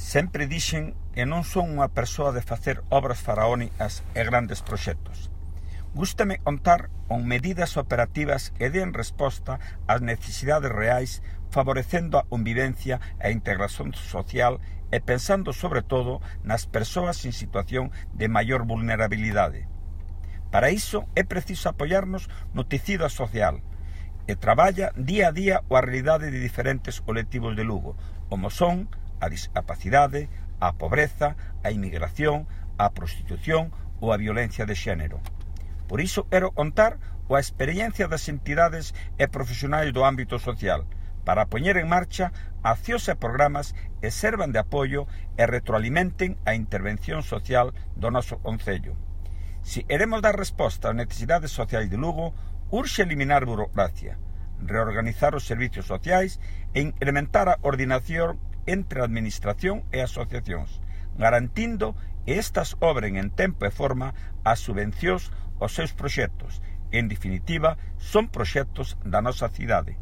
Sempre dixen que non son unha persoa de facer obras faraónicas e grandes proxectos. Gústame contar con medidas operativas que den resposta ás necesidades reais, favorecendo a convivencia e a integración social e pensando sobre todo nas persoas en situación de maior vulnerabilidade. Para iso é preciso apoiarnos no tecido social e traballa día a día a realidade de diferentes colectivos de Lugo, como son a discapacidade, a pobreza, a inmigración, a prostitución ou a violencia de xénero. Por iso quero contar coa experiencia das entidades e profesionais do ámbito social para poñer en marcha accións e programas que servan de apoio e retroalimenten a intervención social do noso concello. Se queremos dar resposta ás necesidades sociais de Lugo, urxe eliminar burocracia, reorganizar os servicios sociais e incrementar a coordinación entre a administración e asociacións, garantindo que estas obren en tempo e forma as subvencións aos seus proxectos. En definitiva, son proxectos da nosa cidade.